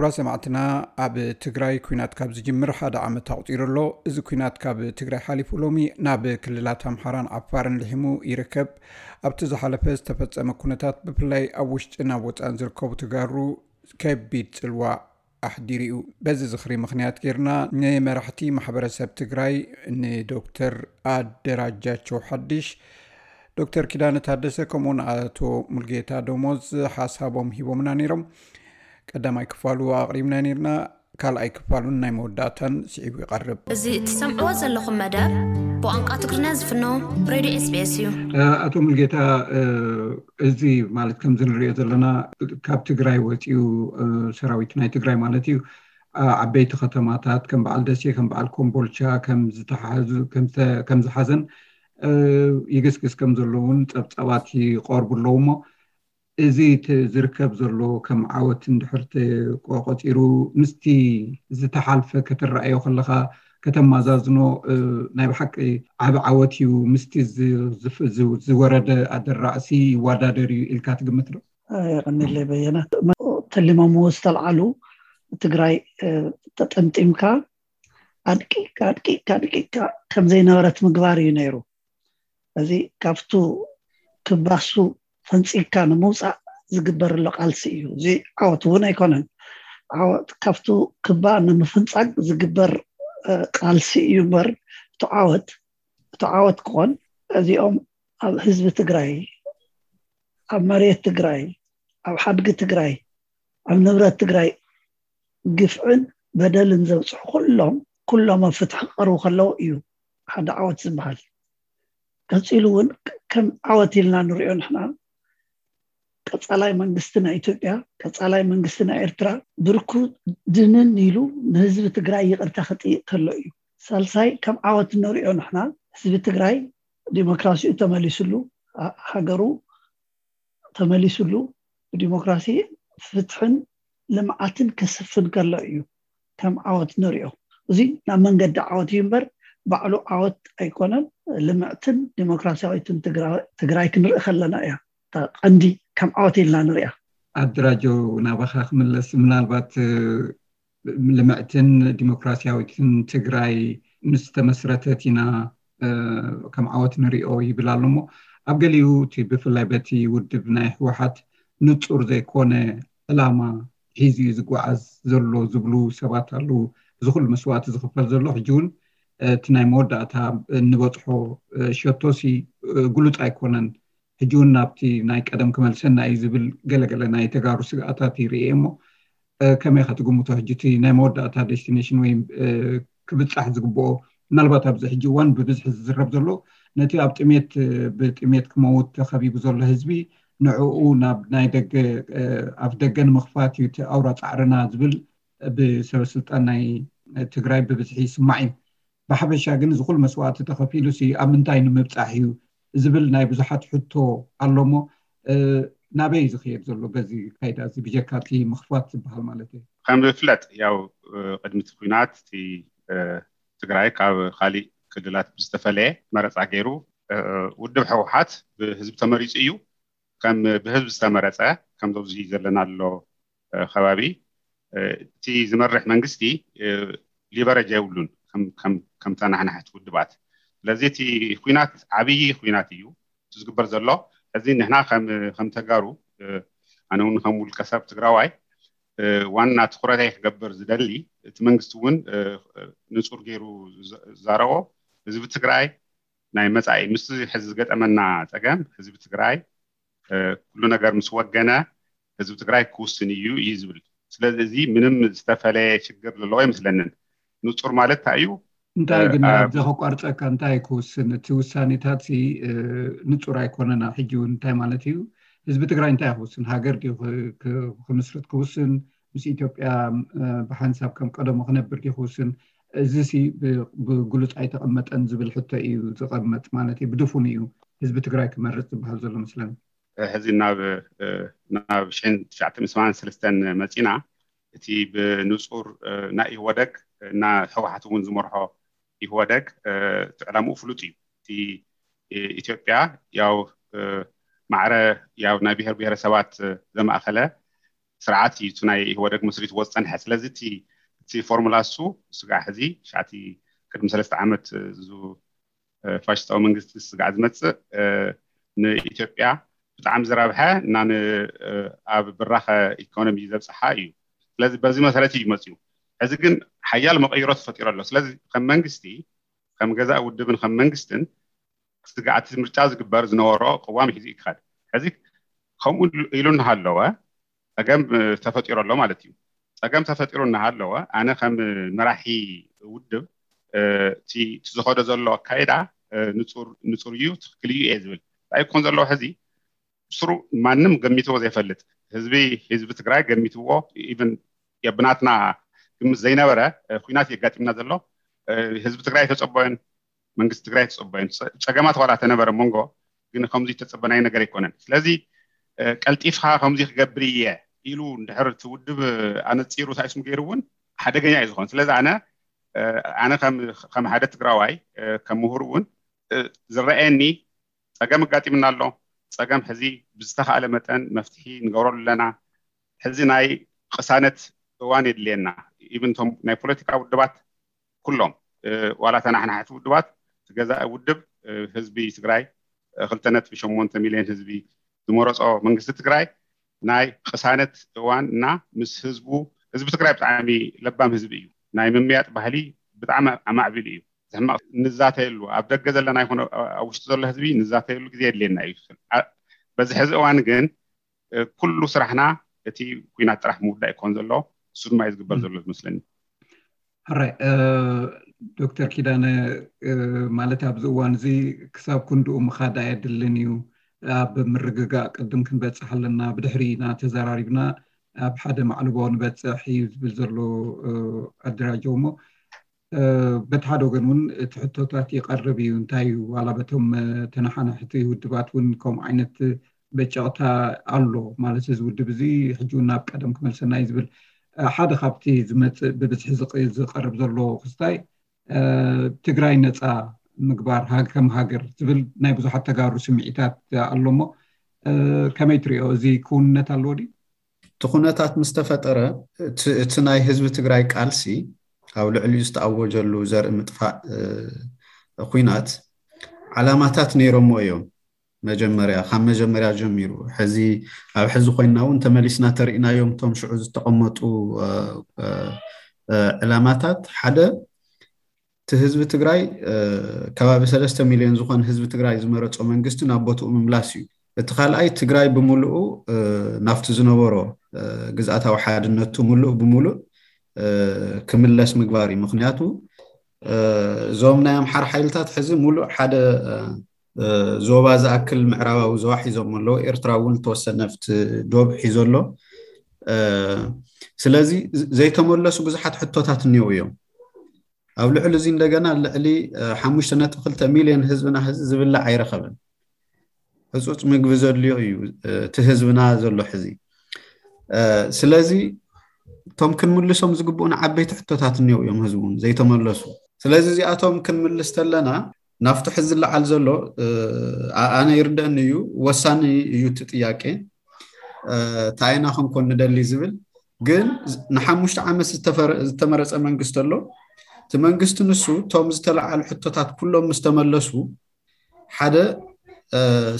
ክቡራት ሰማዕትና፣ ኣብ ትግራይ ኲናት ካብ ዝጅምር ሓደ ዓመት ኣቑጺሩ ኣሎ። እዚ ኲናት ካብ ትግራይ ሓሊፉ ሎሚ ናብ ክልላት ኣምሓራን ዓፋርን ልሒሙ ይርከብ። ኣብቲ ዝሓለፈ ዝተፈጸመ ኩነታት ብፍላይ ኣብ ውሽጥን ኣብ ወጻእን ዝርከቡ ተጋሩ ከቢድ ጽልዋ ኣሕዲሩ እዩ። በዚ ዝኽሪ ምኽንያት ጌርና ንመራሕቲ ማሕበረሰብ ትግራይ ንዶክተር ኣደራጃቸው ሓድሽ፣ ዶክተር ኪዳነ ታደሰ ከምኡውን ኣቶ ሙልጌታ ደሞዝ ሓሳቦም ሂቦምና ነይሮም። ቀዳማይ ክፋሉ ኣቕሪብና ነይርና፣ ካልኣይ ክፋሉን ናይ መወዳእታን ስዒቡ ይቐርብ። እዚ እትሰምዕዎ ዘለኹም መደብ ብቋንቋ ትግርኛ ዝፍኖ ሬድዮ ኤስቢኤስ እዩ። ኣቶ ሙልጌታ፣ እዚ ማለት ከምዚ ንሪኦ ዘለና ካብ ትግራይ ወፂኡ፣ ሰራዊት ናይ ትግራይ ማለት እዩ፣ ዓበይቲ ከተማታት ከም በዓል ደሴ፣ ከም በዓል ኮምቦልቻ ከም ዝተሓዙ፣ ከም ዝሓዘን ይግስግስ ከም ዘሎ እውን ፀብፃባት ይቐርቡ ኣለዉ። እሞ እዚ ዝርከብ ዘሎ ከም ዓወት እንድሕር ተቆፂሩ ምስቲ ዝተሓልፈ ከተረኣዮ ከለኻ፣ ከተማዛዝኖ ናይ ብሓቂ ዓቢ ዓወት እዩ። ምስቲ ዝወረደ ኣደራእሲ ይወዳደር እዩ ኢልካ ትግምት ዶ? የቐኒለይ በየነ። ተሊሞምዎ ዝተልዓሉ ትግራይ ተጠምጢምካ ኣድቂቅካ ኣድቂቅካ ኣድቂቅካ ከም ዘይነበረት ምግባር እዩ ነይሩ። እዚ ካብቱ ክባሱ ፈንፂግካ ንምውፃእ ዝግበር ኣሎ ቃልሲ እዩ። እዚ ዓወት እውን ኣይኮነን። ዓወት ካብቱ ክባ ንምፍንፃግ ዝግበር ቃልሲ እዩ እምበር እቲ ዓወት እቲ ዓወት ክኾን እዚኦም ኣብ ህዝቢ ትግራይ፣ ኣብ መሬት ትግራይ፣ ኣብ ሓድጊ ትግራይ፣ ኣብ ንብረት ትግራይ ግፍዕን በደልን ዘብፅሑ ኩሎም ኩሎም ኣብ ፍትሒ ክቐርቡ ከለዉ እዩ ሓደ ዓወት ዝበሃል። ቀፂሉ እውን ከም ዓወት ኢልና ንሪኦ ንሕና ቀፃላይ መንግስቲ ናይ ኢትዮጵያ፣ ቀፃላይ መንግስቲ ናይ ኤርትራ ብርኩ ድንን ኢሉ ንህዝቢ ትግራይ ይቕርታ ክጥይቅ ከሎ እዩ። ሳልሳይ ከም ዓወት ንሪኦ ንሕና ህዝቢ ትግራይ ዲሞክራሲኡ ተመሊስሉ፣ ሃገሩ ተመሊስሉ ብዲሞክራሲ ፍትሕን ልምዓትን ከስፍን ከሎ እዩ ከም ዓወት ንሪኦ። እዚ ናብ መንገዲ ዓወት እዩ እምበር ባዕሉ ዓወት ኣይኮነን። ልምዕትን ዲሞክራሲያዊትን ትግራይ ክንርኢ ከለና እያ ቀንዲ ከም ዓወት ኢልና ንሪኣ። ኣድራጆ፣ ናባኻ ክምለስ፣ ምናልባት ልምዕትን ዲሞክራሲያዊትን ትግራይ ምስ ተመስረተት ኢና ከም ዓወት ንሪኦ ይብል ኣሎ። እሞ ኣብ ገሊኡ እቲ ብፍላይ በቲ ውድብ ናይ ህወሓት ንፁር ዘይኮነ ዕላማ ሒዙ እዩ ዝጓዓዝ ዘሎ ዝብሉ ሰባት ኣለዉ። እዚ ኩሉ መስዋእቲ ዝኽፈል ዘሎ ሕጂ እውን እቲ ናይ መወዳእታ እንበፅሖ ሸቶሲ ግሉፅ ኣይኮነን። ሕጂ እውን ናብቲ ናይ ቀደም ክመልሰና እዩ ዝብል ገለገለ ናይ ተጋሩ ስግኣታት ይርኤ። እሞ ከመይ ኢኻ ትግምቶ? ሕጂ እቲ ናይ መወዳእታ ዴስቲኔሽን ወይ ክብፃሕ ዝግብኦ፣ ምናልባት ኣብዚ ሕጂ እዋን ብብዝሒ ዝዝረብ ዘሎ ነቲ ኣብ ጥሜት ብጥሜት ክመውት ተኸቢቡ ዘሎ ህዝቢ ንዕኡ ናብ ናይ ደገ ኣፍ ደገ ንምኽፋት እዩ እቲ ኣውራ ፃዕርና ዝብል ብሰበ ስልጣን ናይ ትግራይ ብብዝሒ ይስማዕ እዩ። ብሓፈሻ ግን እዚ ኩሉ መስዋእቲ ተኸፊሉ ሲ ኣብ ምንታይ ንምብፃሕ እዩ ዝብል ናይ ብዙሓት ሕቶ ኣሎ። እሞ ናበይ እዩ ዝኸየድ ዘሎ በዚ ካይዳ እዚ ብጀካ እቲ ምኽፋት ዝበሃል ማለት እዩ? ከም ዝፍለጥ ያው ቅድሚ እቲ ኲናት እቲ ትግራይ ካብ ካሊእ ክልላት ብዝተፈለየ መረፃ ገይሩ ውድብ ህወሓት ብህዝቢ ተመሪፁ እዩ። ከም ብህዝቢ ዝተመረፀ ከምዚ ኣብዚ ዘለናሎ ከባቢ እቲ ዝመርሕ መንግስቲ ሊቨረጅ የብሉን። ከምታ ናሕናሕቲ ውድባት ስለዚ እቲ ኲናት ዓብዪ ኲናት እዩ እቲ ዝግበር ዘሎ። ሕዚ ንሕና ከም ተጋሩ ኣነ እውን ከም ውልቀ ሰብ ትግራዋይ ዋና ትኩረተይ ክገብር ዝደሊ እቲ መንግስቲ እውን ንፁር ገይሩ ዛረቦ ህዝቢ ትግራይ ናይ መፃኢ ምስ ሕዚ ዝገጠመና ፀገም ህዝቢ ትግራይ ኩሉ ነገር ምስ ወገነ ህዝቢ ትግራይ ክውስን እዩ እዩ ዝብል። ስለዚ እዚ ምንም ዝተፈለየ ሽግር ዘለዎ ኣይመስለንን። ንፁር ማለት እንታይ እዩ? እንታይ ግን ኣብዚ ከቋርፀካ፣ እንታይ ክውስን? እቲ ውሳኔታት ንፁር ኣይኮነና። ሕጂ እውን እንታይ ማለት እዩ? ህዝቢ ትግራይ እንታይ ክውስን? ሃገር ድዩ ክምስርት ክውስን? ምስ ኢትዮጵያ ብሓንሳብ ከም ቀደሙ ክነብር ድዩ ክውስን? እዚ ሲ ብግሉፅ ኣይተቐመጠን ዝብል ሕቶ እዩ ዝቐመጥ ማለት እዩ። ብድፉን እዩ ህዝቢ ትግራይ ክመርፅ ዝበሃል ዘሎ መስለኒ። ሕዚ ናብ ናብ ሽሕን ትሽዓተ ሚእቲ ሰማንያን ሰለስተን መፂና። እቲ ብንፁር ናይ ኢህወደግ እና ህወሓት እውን ዝመርሖ ኢህወደግ እቲ ዕላምኡ ፍሉጥ እዩ። እቲ ኢትዮጵያ ያው ማዕረ ያው ናይ ብሄር ብሄረሰባት ዘማእኸለ ስርዓት እዩ እቲ ናይ ኢህወደግ መስሪትዎ ዝፀንሐ። ስለዚ እቲ እቲ ፎርሙላ እሱ ስጋዕ ሕዚ ሻዕቲ ቅድሚ ሰለስተ ዓመት እዙ ፋሽስታዊ መንግስቲ ስጋዕ ዝመፅእ ንኢትዮጵያ ብጣዕሚ ዝረብሐ እና ኣብ ብራኸ ኢኮኖሚ ዘብፅሓ እዩ። ስለዚ በዚ መሰረት እዩ መፅኡ። ሕዚ ግን ሓያል መቐይሮ ተፈጢሩ ኣሎ። ስለዚ ከም መንግስቲ ከም ገዛእ ውድብን ከም መንግስትን ስጋዕቲ ምርጫ ዝግበር ዝነበሮ ቅዋም ሒዙ ይክኸድ። ሕዚ ከምኡ ኢሉ እናሃለወ ፀገም ተፈጢሩ ኣሎ ማለት እዩ። ፀገም ተፈጢሩ እናሃለወ ኣነ ከም መራሒ ውድብ እቲ ዝኸዶ ዘሎ ኣካይዳ ንፁር እዩ፣ ትክክል እዩ እየ ዝብል። እንታይ ክኾን ዘለዎ ሕዚ ብስሩ ማንም ገሚትዎ ዘይፈልጥ ህዝቢ ህዝቢ ትግራይ ገሚትዎ ኢቨን የብናትና ግምት ዘይነበረ ኩናት የጋጢምና ዘሎ ህዝቢ ትግራይ ተፀበዮን መንግስቲ ትግራይ ተፀበዮን ፀገማት ዋላ ተነበረ መንጎ ግን ከምዚ ተፀበናይ ነገር ኣይኮነን። ስለዚ ቀልጢፍካ ከምዚ ክገብር እየ ኢሉ እንድሕር እቲ ውድብ ኣነፂሩ ሳይስም ገይሩ እውን ሓደገኛ እዩ ዝኾን። ስለዚ ኣነ ኣነ ከም ሓደ ትግራዋይ ከም ምሁር እውን ዝረአየኒ ፀገም ኣጋጢምና ኣሎ። ፀገም ሕዚ ብዝተኻእለ መጠን መፍትሒ ንገብረሉ ኣለና። ሕዚ ናይ ቅሳነት እዋን የድልየና። ኢብንቶም ናይ ፖለቲካ ውድባት ኩሎም ዋላ ተናሕናሕቲ ውድባት ትገዛእ ውድብ ህዝቢ ትግራይ ክልተ ነጥቢ ሸሞንተ ሚሊዮን ህዝቢ ዝመረፆ መንግስቲ ትግራይ ናይ ቅሳነት እዋን እና ምስ ህዝቡ ህዝቢ ትግራይ ብጣዕሚ ለባም ህዝቢ እዩ። ናይ ምምያጥ ባህሊ ብጣዕሚ ኣማዕቢሉ እዩ። ሕማቕ ንዛተየሉ ኣብ ደገ ዘለና ይኹን ኣብ ውሽጢ ዘሎ ህዝቢ ንዛተየሉ ግዜ የድልየና እዩ። በዚ ሕዚ እዋን ግን ኩሉ ስራሕና እቲ ኩናት ጥራሕ ምውዳእ ይኮን ዘሎ። እሱ ድማ እዩ ዝግበር ዘሎ ዝመስለኒ። ሕራይ ዶክተር ኪዳነ፣ ማለት ኣብዚ እዋን እዚ ክሳብ ክንድኡ ምኻድ ኣየድልን እዩ። ኣብ ምርግጋእ ቅድም ክንበፅሕ ኣለና። ብድሕሪ ኢና ተዘራሪብና ኣብ ሓደ ማዕልቦ ንበፅሕ እዩ ዝብል ዘሎ ኣደራጀው እሞ በቲ ሓደ ወገን እውን እቲ ሕቶታት ይቀርብ እዩ። እንታይ እዩ ዋላ በቶም ተነሓናሕቲ ውድባት እውን ከምኡ ዓይነት በጨቕታ ኣሎ ማለት እዚ ውድብ እዚ ሕጂ እውን ናብ ቀደም ክመልሰና እዩ ዝብል ሓደ ካብቲ ዝመፅእ ብብዝሒ ዝቀርብ ዘሎ ክስታይ ትግራይ ነፃ ምግባር ከም ሃገር ዝብል ናይ ብዙሓት ተጋሩ ስምዒታት ኣሎ እሞ ከመይ ትሪኦ? እዚ ክውንነት ኣለዎ ድዩ? እቲ ኩነታት ምስ ተፈጠረ እቲ ናይ ህዝቢ ትግራይ ቃልሲ ኣብ ልዕሊኡ ዝተኣወጀሉ ዘርኢ ምጥፋእ ኩናት ዓላማታት ነይሮሞ እዮም። መጀመርያ ካብ መጀመርያ ጀሚሩ ሕዚ ኣብ ሕዚ ኮይና እውን ተመሊስና ተርእናዮም እቶም ሽዑ ዝተቐመጡ ዕላማታት ሓደ እቲ ህዝቢ ትግራይ ከባቢ ሰለስተ ሚሊዮን ዝኾነ ህዝቢ ትግራይ ዝመረፆ መንግስቲ ናብ ቦትኡ ምምላስ እዩ። እቲ ካልኣይ ትግራይ ብምሉኡ ናብቲ ዝነበሮ ግዝኣታዊ ሓድነቱ ሙሉእ ብሙሉእ ክምለስ ምግባር እዩ። ምክንያቱ እዞም ናይ ኣምሓር ሓይልታት ሕዚ ሙሉእ ሓደ ዞባ ዝኣክል ምዕራባዊ ዞባ ሒዞም ኣለዉ። ኤርትራ እውን ዝተወሰነ ኣብቲ ዶብ ሒዞ ኣሎ። ስለዚ ዘይተመለሱ ብዙሓት ሕቶታት እኒው እዮም። ኣብ ልዕሊ እዚ እንደገና ልዕሊ ሓሙሽተ ነጥቢ ክልተ ሚልዮን ህዝብና ህዚ ዝብላዕ ኣይረኸበን። ህፁፅ ምግቢ ዘድልዮ እዩ እቲ ህዝብና ዘሎ ሕዚ። ስለዚ እቶም ክንምልሶም ዝግብኡና ዓበይቲ ሕቶታት እኒው እዮም ህዝቡን ዘይተመለሱ። ስለዚ እዚኣቶም ክንምልስ ተለና ናብቲ ሕዚ ዝለዓል ዘሎ ኣነ ይርደአኒ እዩ፣ ወሳኒ እዩ እቲ ጥያቄ። እንታይ ኢና ክንኮን ንደሊ ዝብል ግን ንሓሙሽተ ዓመት ዝተመረፀ መንግስቲ ኣሎ። እቲ መንግስቲ ንሱ እቶም ዝተለዓሉ ሕቶታት ኩሎም ምስ ተመለሱ ሓደ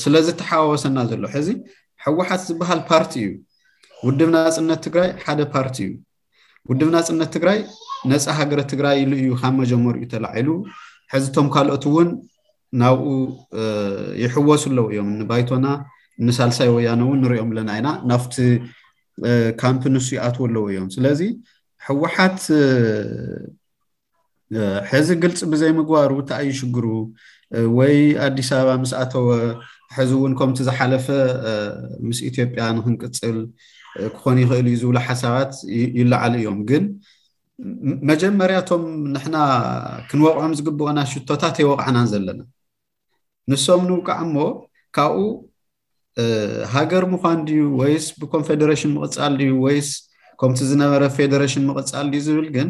ስለዝተሓዋወሰና ዘሎ ሕዚ ህወሓት ዝበሃል ፓርቲ እዩ። ውድብ ናፅነት ትግራይ ሓደ ፓርቲ እዩ። ውድብ ናፅነት ትግራይ ነፃ ሃገረ ትግራይ ኢሉ እዩ ካብ መጀመሪኡ ተላዒሉ። ሕዚ እቶም ካልኦት እውን ናብኡ ይሕወሱ ኣለዉ እዮም። ንባይቶና ንሳልሳይ ወያነ እውን ንሪኦም ኣለና ኢና። ናብቲ ካምፕ ንሱ ይኣትዉ ኣለዉ እዮም። ስለዚ ህወሓት ሕዚ ግልፂ ብዘይምግባሩ እንታይ እዩ ሽግሩ? ወይ ኣዲስ ኣበባ ምስ ኣተወ ሕዚ እውን ከምቲ ዝሓለፈ ምስ ኢትዮጵያ ንክንቅፅል ክኾን ይኽእል እዩ ዝብሉ ሓሳባት ይለዓሉ እዮም። ግን መጀመርያ እቶም ንሕና ክንወቕዖም ዝግብኦና ሽቶታት የወቕዕናን ዘለና። ንሶም ንውቃዕ እሞ ካብኡ ሃገር ምዃን ድዩ ወይስ ብኮንፌደሬሽን ምቕፃል ድዩ ወይስ ከምቲ ዝነበረ ፌደሬሽን ምቕፃል ድዩ ዝብል ግን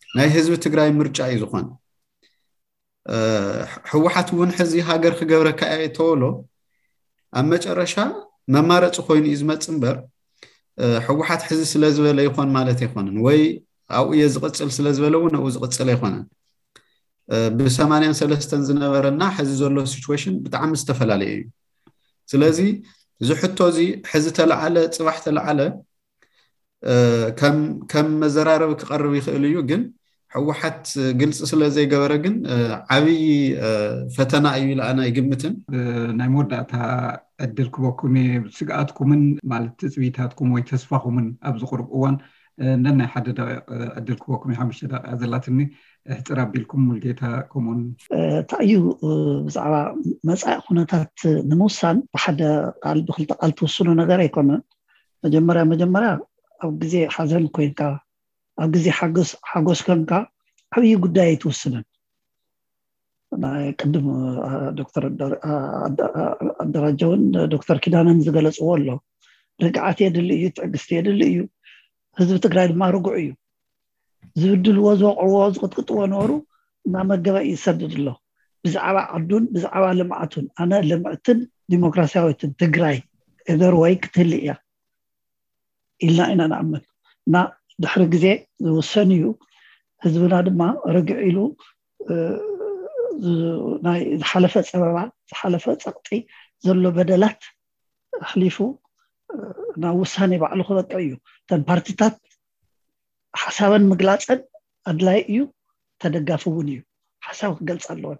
ናይ ህዝቢ ትግራይ ምርጫ እዩ ዝኾን። ህወሓት እውን ሕዚ ሃገር ክገብረካ እየ ተበሎ ኣብ መጨረሻ መማረፂ ኮይኑ እዩ ዝመፅ እምበር ህወሓት ሕዚ ስለ ዝበለ ይኾን ማለት ኣይኮነን፣ ወይ ኣብኡ እየ ዝቕፅል ስለ ዝበለ እውን ኣብኡ ዝቕፅል ኣይኮነን። ብሰማንያን ሰለስተን ዝነበረና ሕዚ ዘሎ ሲቹዌሽን ብጣዕሚ ዝተፈላለየ እዩ። ስለዚ እዚ ሕቶ እዚ ሕዚ ተለዓለ፣ ፅባሕ ተለዓለ፣ ከም መዘራረቢ ክቐርብ ይኽእል እዩ። ግን ህወሓት ግልፂ ስለ ዘይገበረ ግን ዓብዪ ፈተና እዩ ኢለ ኣነ ኣይግምትን። ናይ መወዳእታ ዕድል ክበኩም እየ። ስግኣትኩምን ማለት ትፅቢታትኩም ወይ ተስፋኹምን ኣብዚ ቁሩብ እዋን ነናይ ሓደ ደቂቕ ዕድል ክበኩም እየ። ሓሙሽተ ደቂቃ ዘላትኒ፣ ሕፅር ኣቢልኩም ሙልጌታ ከምኡን እንታይ እዩ ብዛዕባ መፃኢ ኩነታት ንምውሳን ብሓደ ቃል ብክልተ ቃል ትውስኖ ነገር ኣይኮነን። መጀመርያ መጀመርያ ኣብ ግዜ ሓዘን ኮይንካ፣ ኣብ ግዜ ሓጎስ ኮይንካ ዓብዪ ጉዳይ ኣይትውስንን። ናይ ቅድም ዶክተር ኣደራጀውን ዶክተር ኪዳነን ዝገለፅዎ ኣሎ። ርግዓት የድሊ እዩ፣ ትዕግስቲ የድሊ እዩ። ህዝቢ ትግራይ ድማ ርጉዕ እዩ። ዝብድልዎ፣ ዝወቕዕዎ፣ ዝቕጥቅጥዎ ነበሩ እናመገበ እዩ ዝሰድድ ኣሎ። ብዛዕባ ዓዱን ብዛዕባ ልምዓቱን ኣነ ልምዕትን ዲሞክራሲያዊትን ትግራይ እገር ወይ ክትህሊ እያ ኢልና ኢና ንኣምን። እና ድሕሪ ግዜ ዝውሰን እዩ። ህዝብና ድማ ርግዕ ኢሉ ናይ ዝሓለፈ ፀበባ፣ ዝሓለፈ ፀቕጢ፣ ዘሎ በደላት ኣሕሊፉ ናብ ውሳኔ ባዕሉ ክበቅዕ እዩ። እተን ፓርቲታት ሓሳበን ምግላፀን ኣድላይ እዩ፣ ተደጋፊ እውን እዩ። ሓሳብ ክገልፅ ኣለወን፣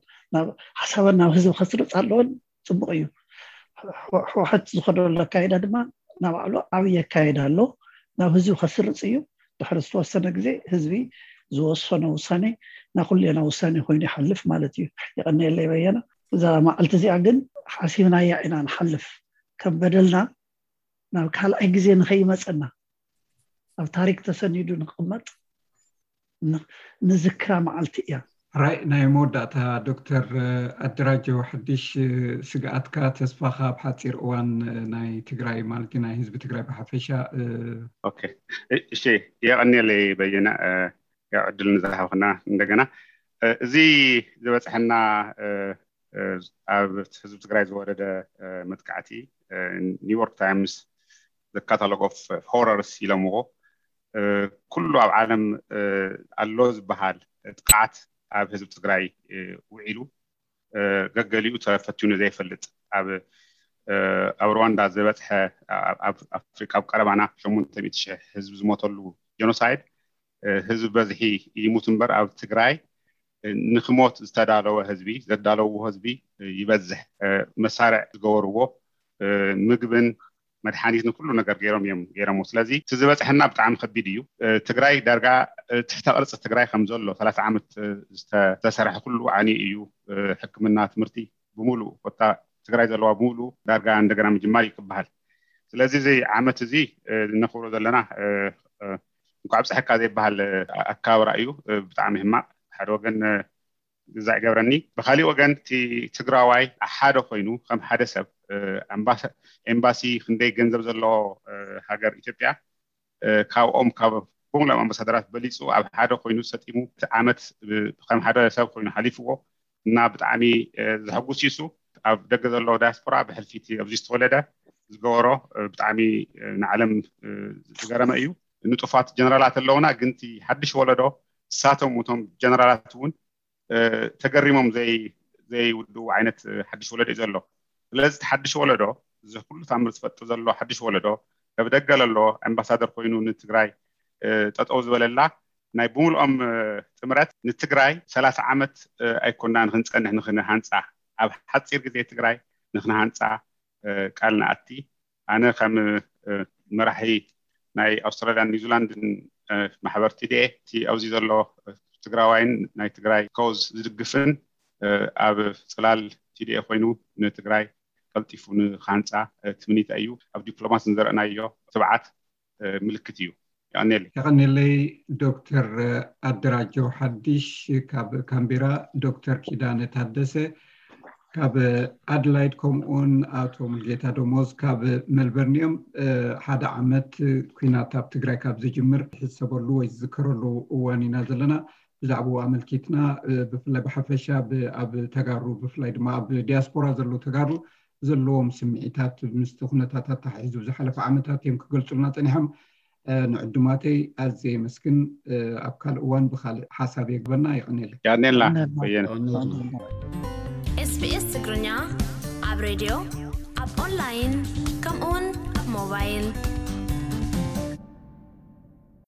ሓሳበን ናብ ህዝቢ ከስርፅ ኣለወን። ፅቡቅ እዩ። ሕወሓት ዝኸደሉ ኣካይዳ ድማ ናባዕሉ ዓብዪ ኣካይዳ ኣሎ፣ ናብ ህዝቢ ከስርፅ እዩ። ድሕሪ ዝተወሰነ ግዜ ህዝቢ ዝወሰኖ ውሳኔ ናኩሌና ውሳኔ ኮይኑ ይሓልፍ ማለት እዩ። የቐንየለይ በየነ። እዛ መዓልቲ እዚኣ ግን ሓሲብናያ ኢና ንሓልፍ። ከም በደልና ናብ ካልኣይ ግዜ ንኸይመፀና ኣብ ታሪክ ተሰኒዱ ንክቕመጥ ንዝክራ መዓልቲ እያ። ራይ ናይ መወዳእታ ዶክተር ኣደራጀው ሓድሽ ስግኣትካ ተስፋኻ ኣብ ሓፂር እዋን ናይ ትግራይ ማለት ናይ ህዝቢ ትግራይ ብሓፈሻ። እሺ የቐንየለይ በየነ ዕድል ንዝሃብክና እንደገና። እዚ ዝበፅሐና ኣብ ህዝቢ ትግራይ ዝወረደ መጥቃዕቲ ኒውዮርክ ታይምስ the catalog of horrors ኢሎምዎ። ኩሉ ኣብ ዓለም ኣሎ ዝበሃል ጥቕዓት ኣብ ህዝቢ ትግራይ ውዒሉ ገገሊኡ ተፈቲኑ ዘይፈልጥ፣ ኣብ ኣብ ሩዋንዳ ዝበፅሐ፣ ኣብ ኣፍሪቃ ኣብ ቀረባና ሸሞንተ ሚእቲ ሽሕ ህዝቢ ዝሞተሉ ጀኖሳይድ ህዝቢ በዝሒ ይሙት እምበር ኣብ ትግራይ ንክሞት ዝተዳለወ ህዝቢ፣ ዘዳለውዎ ህዝቢ ይበዝሕ። መሳርዕ ዝገበርዎ ምግብን መድሓኒትን ኩሉ ነገር ገይሮም እዮም ገይሮምዎ። ስለዚ እቲ ዝበፅሐና ብጣዕሚ ከቢድ እዩ። ትግራይ ዳርጋ ትሕተ ቅርፂ ትግራይ ከም ዘሎ ሰላሳ ዓመት ዝተሰርሐ ኩሉ ዓንዩ እዩ። ሕክምና፣ ትምህርቲ ብምሉእ ኮታ ትግራይ ዘለዋ ብምሉእ ዳርጋ እንደገና ምጅማር እዩ ክበሃል። ስለዚ እዚ ዓመት እዚ እነኽብሮ ዘለና እንኳዕ ኣብፀሐካ ዘይበሃል ኣከባብራ እዩ። ብጣዕሚ ሕማቕ ሓደ ወገን ግዛዕ ይገብረኒ። ብካሊእ ወገን እቲ ትግራዋይ ሓደ ኮይኑ ከም ሓደ ሰብ ኤምባሲ ክንደይ ገንዘብ ዘለዎ ሃገር ኢትዮጵያ ካብኦም ካብ ብምሎም ኣምባሳደራት በሊፁ ኣብ ሓደ ኮይኑ ሰጢሙ እቲ ዓመት ከም ሓደ ሰብ ኮይኑ ሓሊፍዎ እና ብጣዕሚ ዘሐጉስ እዩ። ኣብ ደገ ዘለዎ ዳያስፖራ ብሕልፊ እቲ ኣብዚ ዝተወለደ ዝገበሮ ብጣዕሚ ንዓለም ዝገረመ እዩ። ንጡፋት ጀነራላት ኣለውና፣ ግን እቲ ሓድሽ ወለዶ እሳቶም እቶም ጀነራላት እውን ተገሪሞም ዘይውድኡ ዓይነት ሓድሽ ወለዶ እዩ ዘሎ። ስለዚ እቲ ሓድሽ ወለዶ እዚ ኩሉ ታምር ዝፈጥር ዘሎ ሓድሽ ወለዶ ካብ ደገ ለሎ ኣምባሳደር ኮይኑ ንትግራይ ጠጠው ዝበለላ ናይ ብምልኦም ጥምረት ንትግራይ ሰላሳ ዓመት ኣይኮናን ክንፀንሕ ንክንሃንፃ ኣብ ሓፂር ግዜ ትግራይ ንክንሃንፃ ቃል ንኣቲ። ኣነ ከም መራሒ ናይ ኣውስትራልያን ኒውዚላንድን ማሕበር ቲዲኤ እቲ ኣብዚ ዘሎ ትግራዋይን ናይ ትግራይ ኮዝ ዝድግፍን ኣብ ፅላል ቲዲኤ ኮይኑ ንትግራይ ቀልጢፉ ንክሃንፃ ትምኒተ እዩ። ኣብ ዲፕሎማሲ ንዘርእናዮ ትብዓት ምልክት እዩ። የቐንየለይ። የቐንየለይ ዶክተር ኣደራጀው ሓድሽ ካብ ካምቤራ፣ ዶክተር ኪዳነ ታደሰ ካብ ኣድላይድ፣ ከምኡውን ኣቶ ሙልጌታ ደሞዝ ካብ መልበርን እዮም። ሓደ ዓመት ኩናት ኣብ ትግራይ ካብ ዝጅምር ዝሕሰበሉ ወይ ዝዝከረሉ እዋን ኢና ዘለና። ብዛዕባኡ ኣመልኪትና ብፍላይ ብሓፈሻ ኣብ ተጋሩ ብፍላይ ድማ ኣብ ዲያስፖራ ዘለዉ ተጋሩ ዘለዎም ስምዒታት ምስቲ ኩነታት ኣተሓሒዙ ዝሓለፈ ዓመታት እዮም ክገልጹልና ጸኒሖም። ንዕዱማተይ ኣዝየ የመስግን። ኣብ ካልእ እዋን ብኻልእ ሓሳብ የግበና። የቐኔለይ። ያኔላ በየነ። SBS ትግርኛ ኣብ ሬድዮ፣ ኣብ ኦንላይን፣ ከምኡውን ኣብ ሞባይል።